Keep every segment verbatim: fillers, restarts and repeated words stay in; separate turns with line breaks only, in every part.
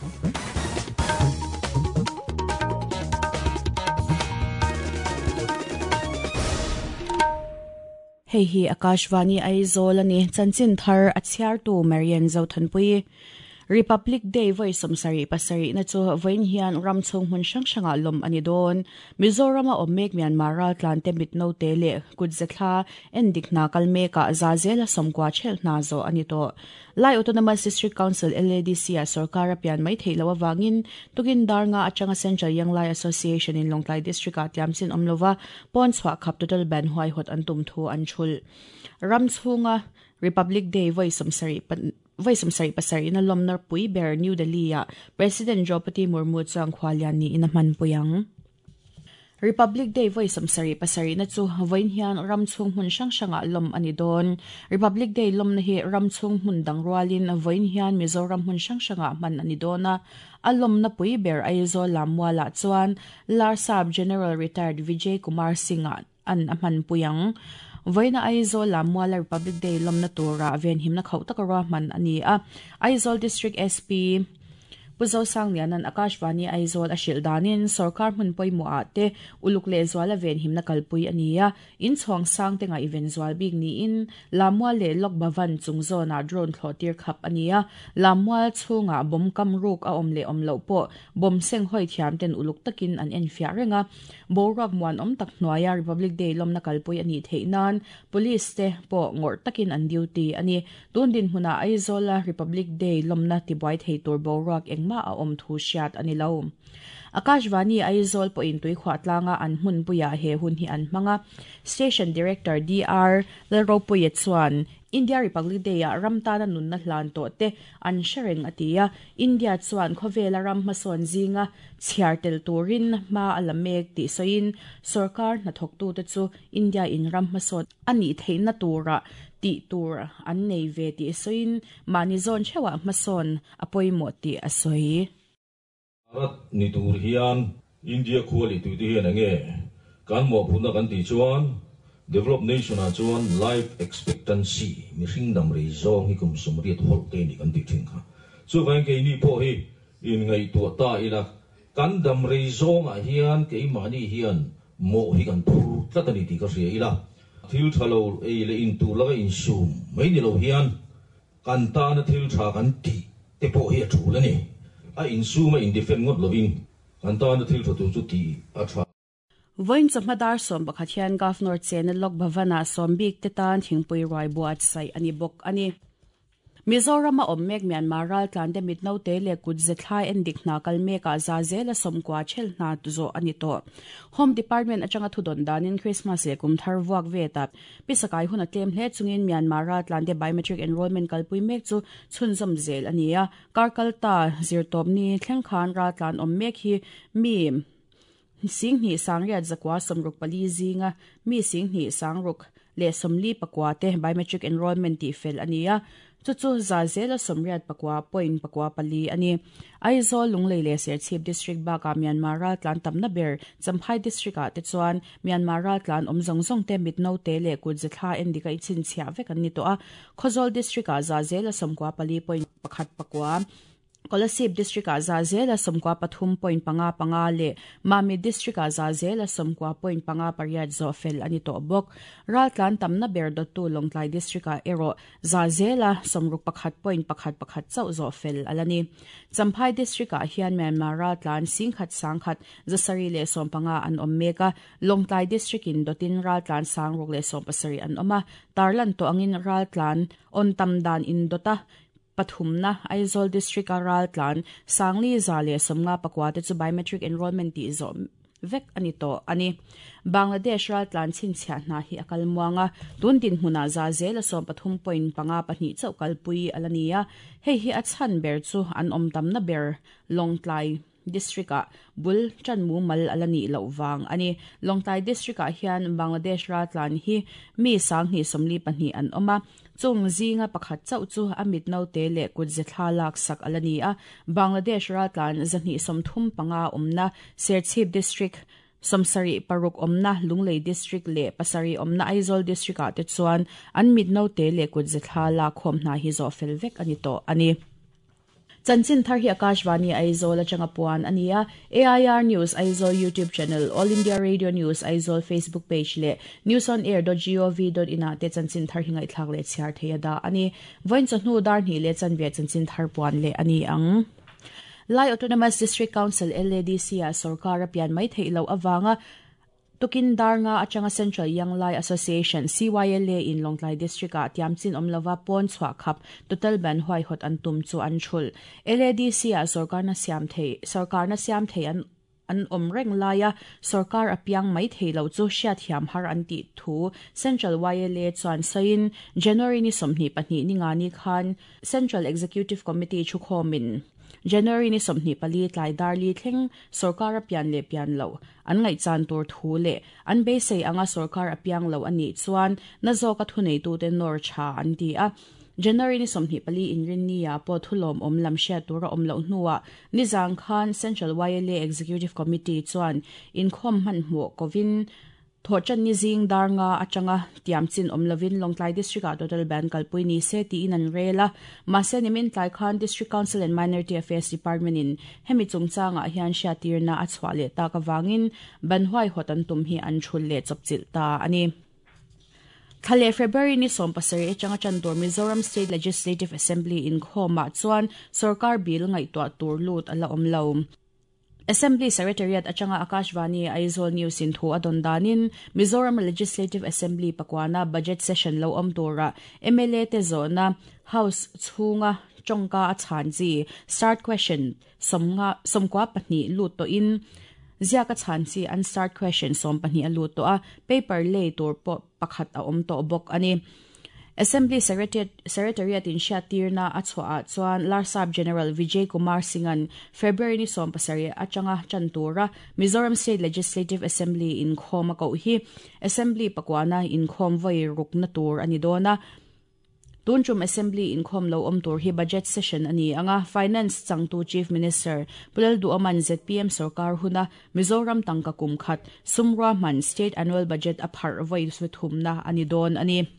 Hei hi Akashvani Aizawl ani chanchin thar a chhiartu Marian Zothanpui. Republic Day voi somsari pasari na chu voin hian ramchhung hmun hrang hranga lom ani dawn. Mizorama awm mek Myanmar ral tlan te mit no te leh kutzetla endik hna kal mekah zazela sawmkua chhel hna zo ani tawh. Lai Autonomous District Council L A D C a sarkar a pian mai theih lo awangin tukin darnga atanga Central Young Lai Association in Lawngtlai District ah tiamchin awm lova pawn chhuah khap total ban huai hawt an tum thu an thul. Ramchhunga Republic Day voi somsari voi somsari pasari na lomnar pui ber New Delhi a President Draupadi Murmu chuang khwalian ni ina man puyang. Republic Day voi somsari pasari na chu voin hian ramchhung hmun hrang hranga lom ani dawn. Republic Day lom na hi ramchhung hmun dang rualin voin hian Mizoram hmun hrang hranga man ani dawna. A lom na pui ber Aizawl Lammuala chuan Larsab General Retired Vijay Kumar Singh an a man puyang. Voina Aizawl Lammuala Republic Day lom na tura ven himna khau takara man ani a. Aizawl District S P Puzo Sanglianan Akashvani Aizawl a hrilh danin sarkar hmun pawimawh ah te uluk leh zuala ven himna kalpui ani a. In chhuang sang te nga event zual bik niin Lammual leh Lok Bhavan chung zawnah drone thlawh tir khap ani a. Lammual chhungah bom kam ruk a awm leh awm loh pawh bom seng hawi thiam ten uluk takin an en fiah reng a. Boruak muan awm tak hnuaia Republic Day lawmna kalpui ani theih nan police te pawh ngawrh takin an duty ani. Tun din hmunah Aizawl a Republic Day lawmna tibuai thei tur boruak eng ma a awm thu hriat ani lo. Akashvani Aizawl pawhin tui khuah tlanga an hmun puia he hun hi an hmanga. Station Director D R Lalropuia chuan India Republic Day a ramtana nunna hlan tawh te an hrereng atia. India chuan khawvela ram hmasawn zinga chhiar tel turin hma a la mek tih sawiin sarkar hnathawktu te chu India in ram hmasawn ani theihna tura tih tur an nei ve tih sawiin mahni zawn theuhah hmasawn a pawimawh tih a sawi.
Bharat ni tur hian India khuali tu te hian enge kan mawhphurhna kan tih chuan developed nation ah chuan life expectancy mi hring dam rei zawng hi kum sawmriat hawlh te ni kan tih thin kha. Chuvain keini pawh hi in ngaihtuah ta ila kan dam rei zawngah hian keimahni hian mawh hi kan phur tlat ani tih ka hria ila. Thil tha lo ei leh in tur laka insum mai ni lo hian kan tana thil tha kan tih te pawh hi a thul ani. A insum a in defend ngawt lovin kan tana thil tha tur chu tih a tha.
Voin chawhmadar sawm pakhat hian Governor Chena Lok Bhavana sawmbik te tan thingpui ruai buat sai ani bawk ani. Mizoram a awm mek Myanmar ral tlan te mit no te leh kut zethlai endik hna kal mekah zazela sawmkua chhel hna tu zawh ani tawh. Home Department atanga thudawn danin Christmas leh kum thar vuak ve ta pisakai hun a tlem hle chungin Myanmar ral tlan te biometric enrollment kalpui mek chu chhunzawm zel ani a. Karkalta zirtawp ni thleng khan ral tlan awm mek hi mi sing hnih sangriat zakua sawmruk pali zinga mi sing hnih sangruk leh sawmli pakua te biometric enrollment tih fel ani a. Chu chu zazela sawmriat pakua point pakua pali ani. Aizawl Lunglei leh Serchhip District bakah Myanmar ral tlan tamna ber Champhai District ah te chuan Myanmar ral tlan awm zawng zawng te mit no te leh kut zethla endika i chhinchhiah vek an ni tawh a. Khawzawl District ah zazela sawmkua pali point pakhat pakua Kolasib District ah zazela sawmkua pathum point panga panga leh Mami District ah zazela sawmkua point panga pariat zawh fel ani tawh bawk. Ral tlan tamna ber dawttu Lawngtlai District ah erawh zazela sawmruk pakhat point pakhat pakhat chauh zawh fel alani. Champhai District ah hian Myanmar ral tlan singkhat sangkhat zasari leh sawm panga an awm mek a. Lawngtlai District in dawtin ral tlan sangruk leh sawm pasarih an awm a. Tarlan tawh angin ral tlan on tam dan in dawta pathumna Aizawl District a ral tlan sangli za leh sawmnga pakua te chu biometric enrollment tih zawh vek ani tawh ani. Bangladesh ral tlan chhinchhiah hna hi a kal muanga tun din hmunah zazela sawm pathum point panga pahnih chauh kalpui alani a. Hei hi a chhan ber chu an awm tamna ber Lawngtlai District ah bul chan mu mal alani loh wang ani. Lawngtlai District ah hian Bangladesh ral tlan hi mi sanghnih sawmli pahnih an awm a. Chung zinga pakhat chauh chu a mit no te leh kut zethla lak sak alani a. Bangladesh ral tlan zahnih sawmthum panga awmna Serchhip District sawmsarih paruk awmna Lunglei District leh pasarih awmna Aizawl District ah te chuan an mit no te leh kut zethla lak khawm hna hi zawh fel vek ani tawh ani. Chanchin thar hi Akashvani Aizawl atanga puan ania A I R News Aizawl YouTube channel, All India Radio News Aizawl Facebook page le news on air dot gov dot in a te chanchin thar hingai thlak le chhiar theia da ani. Voin chawhnu dar hnih le chanve chanchin thar puan le ani ang. Lai Autonomous District Council L A D C a sarkar pian mai thei lo awanga tukin darnga atanga Central Young Lai Association C Y L A in Longtlai District a tiamchin omlova pon chwa khap total ban huai hot an tum chu an thul. L A D C a sarkar na siam thei sarkar na siam thei an an omreng laia sarkar apiang mai thei lo chu hriat thiam har an ti thu Central Y L A chuan sain January ni somhni pahnih ni nga ni khan Central Executive Committee chu khomin January ni somhni pali tlai darli thleng sarkar apian le pian lo an ngai chan tur thu le an be sei anga sarkar apiang lo ani chuan na zo ka thunei tu te nor cha an ti a. January ni somhni pali inrin ni a po thulom om lam hria tura om lo hnuwa nizang khan Central Y L A Executive Committee chuan in khom man hmu kovin thochan ni zing darnga atanga tiamchin omlovin Longtlai District a total ban kalpui ni se ti in an rela mase nimin tlai khan District Council and Minority Affairs Department in hemi chungchanga hian hria tirna a chhuah le ta ka wangin ban huai hotan tum hi an thul le chopchil ta ani. Thale February ni som pasari atanga chantur Mizoram State Legislative Assembly in khoma chuan sarkar bill ngai to tur lut ala omlo. Assembly Secretariat atanga Akashvani Aizawl News in thu adon danin Mizoram Legislative Assembly pakwana budget session lo om tura M L A te zona House chhunga chongka a chanji start question somnga somkwa pahnih lut to in ziaka chanchi an start question som pahnih a lut to a paper lay tur po pakhat a om to bok ani. Assembly Secretariat, Secretariat in Shatirna achwa chuan Larsab General Vijay Kumar Singan February ni som pasari atanga chantura Mizoram State Legislative Assembly in khoma ko hi Assembly pakwana in khom voi rukna tur ani dona. Tunchum Assembly in khom lo om tur hi budget session ani anga Finance changtu Chief Minister Pulal Duaman Z P M sarkar huna Mizoram tangka kum khat sumra man state annual budget aphar voi thumna ani don ani.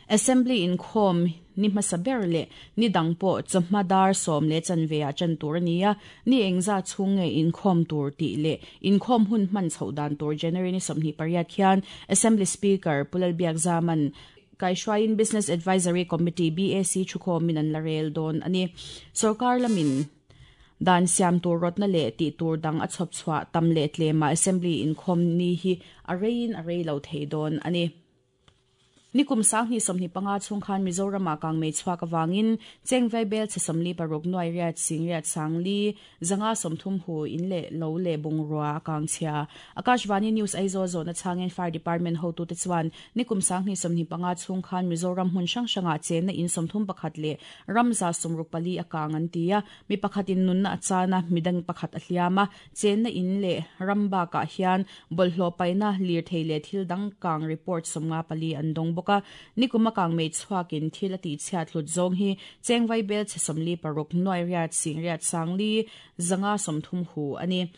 Assembly in khom ni hmasa le ni dangpo chawhma som le chanve a chan tur ania ni engza chhunge in khom tur ti le in khom hun man chhodan tur January ni somhni pariat khian Assembly Speaker Pulal Biak Zaman Kaishwain Business Advisory Committee B A C chukhom min an larel don ani. Sarkar lamin dan siam tur rotna le ti tur dang a chhop chwa tam le tlema Assembly in khom ni hi arein arei lo thei don ani. Nikum sang ni somni panga chung khan Mizoram kang mei chhuak awangin chengvai bel che somli paruk noi riat sing riat sangli zanga somthum hu in le lo le bungrua kang chhia. Akashvani News Aizawl zona changin Fire Department ho tu te chuan nikum sang ni somni panga chung khan Mizoram hun sang sanga chen na in somthum pakhat le ramza somruk pali akang an tia mi pakhatin nun na achana midang pakhat ahliama chen na in le ramba ka hian bolhlo paina lir theile thil dang kang report somnga pali andong ka nikuma kang mei chhuakin thil ati chhiat hlut zawng hi chengvai bel che somli paruk noi riat sing riat sangli zanga somthum hu ani.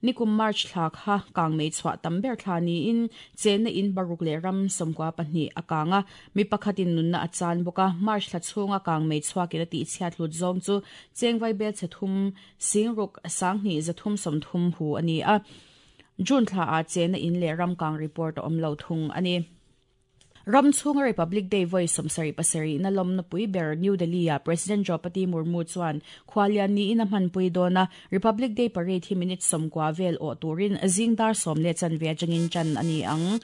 Nikum March thla kha kang mei chhuah tam ber thla ni in chen na in baruk le ram somkwa pahnih akanga mi pakhatin nun na achan boka March thla chhunga kang mei chhuakin ati chhiat hlut zawng chu chengvai bel che thum singruk sanghni zathum somthum hu ani a. June thla a chen na in le ram kang report om lo thung ani. Ram chhunga Republic Day voi somsari pasari na lom na pui ber New Delhi a President Draupadi Murmu chuan khwalian ni in a hman pui dona Republic Day parade hi minute somkwa vel o turin zingdar som le chan ve jangin chan ani ang.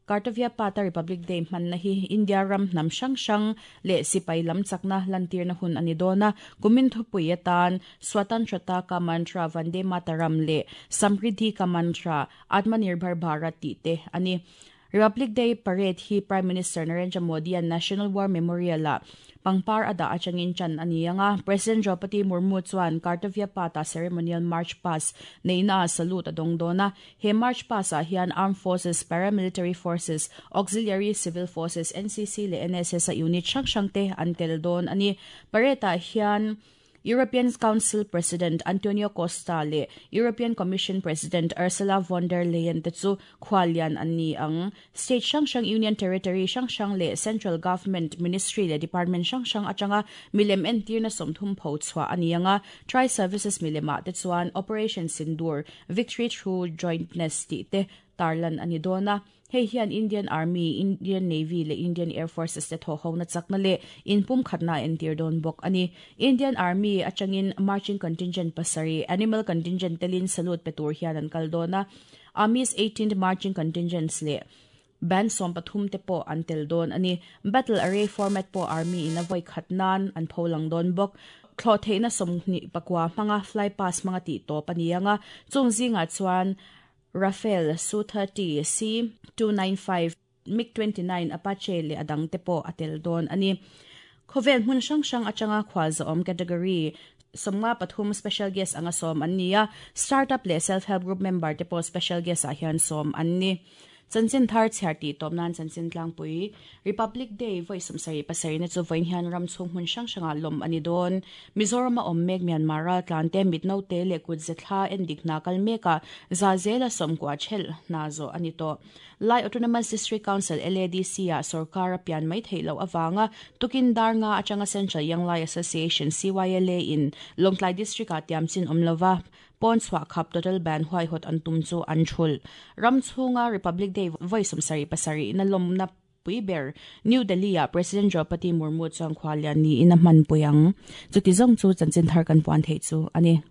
Kartavya Pata Republic Day man na hi India ram nam sang sang le sipai lam chakna lantir na hun ani dona kumin thupui atan Swatantrata ka mantra Vande Mataram le Samriddhi ka mantra Atmanirbhar Bharat ti te ani. Republic Day Parade hi Prime Minister Narendra Modi an National War Memorial a pangpar ada achangin chan ani anga President Draupadi Murmu chuan Kartavya Pata Ceremonial March Pass neina salute adong dona. He March Pass a hian Armed Forces, Paramilitary Forces, Auxiliary Civil Forces, N C C le N S S a unit sang sang te an tel don ani. Parade a hian European Council President Antonio Costa le European Commission President Ursula von der Leyen te chu khwalian an ni ang. State hrang hrang, Union Territory hrang hrang le Central Government Ministry le Department hrang hrang atanga milem entirna sawmthum pho chhuah ani anga. Tri Services milema te chuan Operation Sindoor, Victory Through Jointness ti te tarlan ani dona. Hei hian Indian Army, Indian Navy le Indian Air Forces te tho ho na chakna le inpum khatna entir don bok ani. Indian Army atangin marching contingent pasari, animal contingent telin salute pe tur hian an kal dona. Army's eighteenth marching contingents le band som pathum te po an tel don ani. Battle array format po Army in a voi khatnan an pholang don bok. Thlo theina somni pakwa manga fly pass manga ti to panianga chung zinga chuan Rafale, Su thirty, C two ninety-five, MiG twenty-nine, Apache le adang te po atel don ani. Khovel hmun hrang hrang atanga khwal zawm category somnga pathum special guest anga som an nia. Startup le self help group member te po special guest a hian som an ni. Chanchin thar chhiar ti tawp nan chanchin tlangpui. Republic Day voi sawmsarih pasarih na chu vawiin hian ram chhung hmun hrang hrangah lawm ani dawn. Mizoram a awm mek Myanmar ral tlan te mitno te leh kut ze thla en dik hna kal meka za zela sawmkua chhel hna zawh ani tawh. Lai Autonomous District Council L A D C a sarkar a pian mai theih loh awanga tukin dar nga atanga Central Young Lai Association C Y L A in Lawngtlai District a tiamchin awm lova pawn chhuah khap total ban huai hot an tum chu an thul. Ram chhunga Republic Day voi sawmsarih pasarih na lawmna pui ber New Delhi a President Draupadi Murmu chuan khwalian ni in a hman pui ang. Chuti zawng chu chanchin thar kan puan thei chu ani.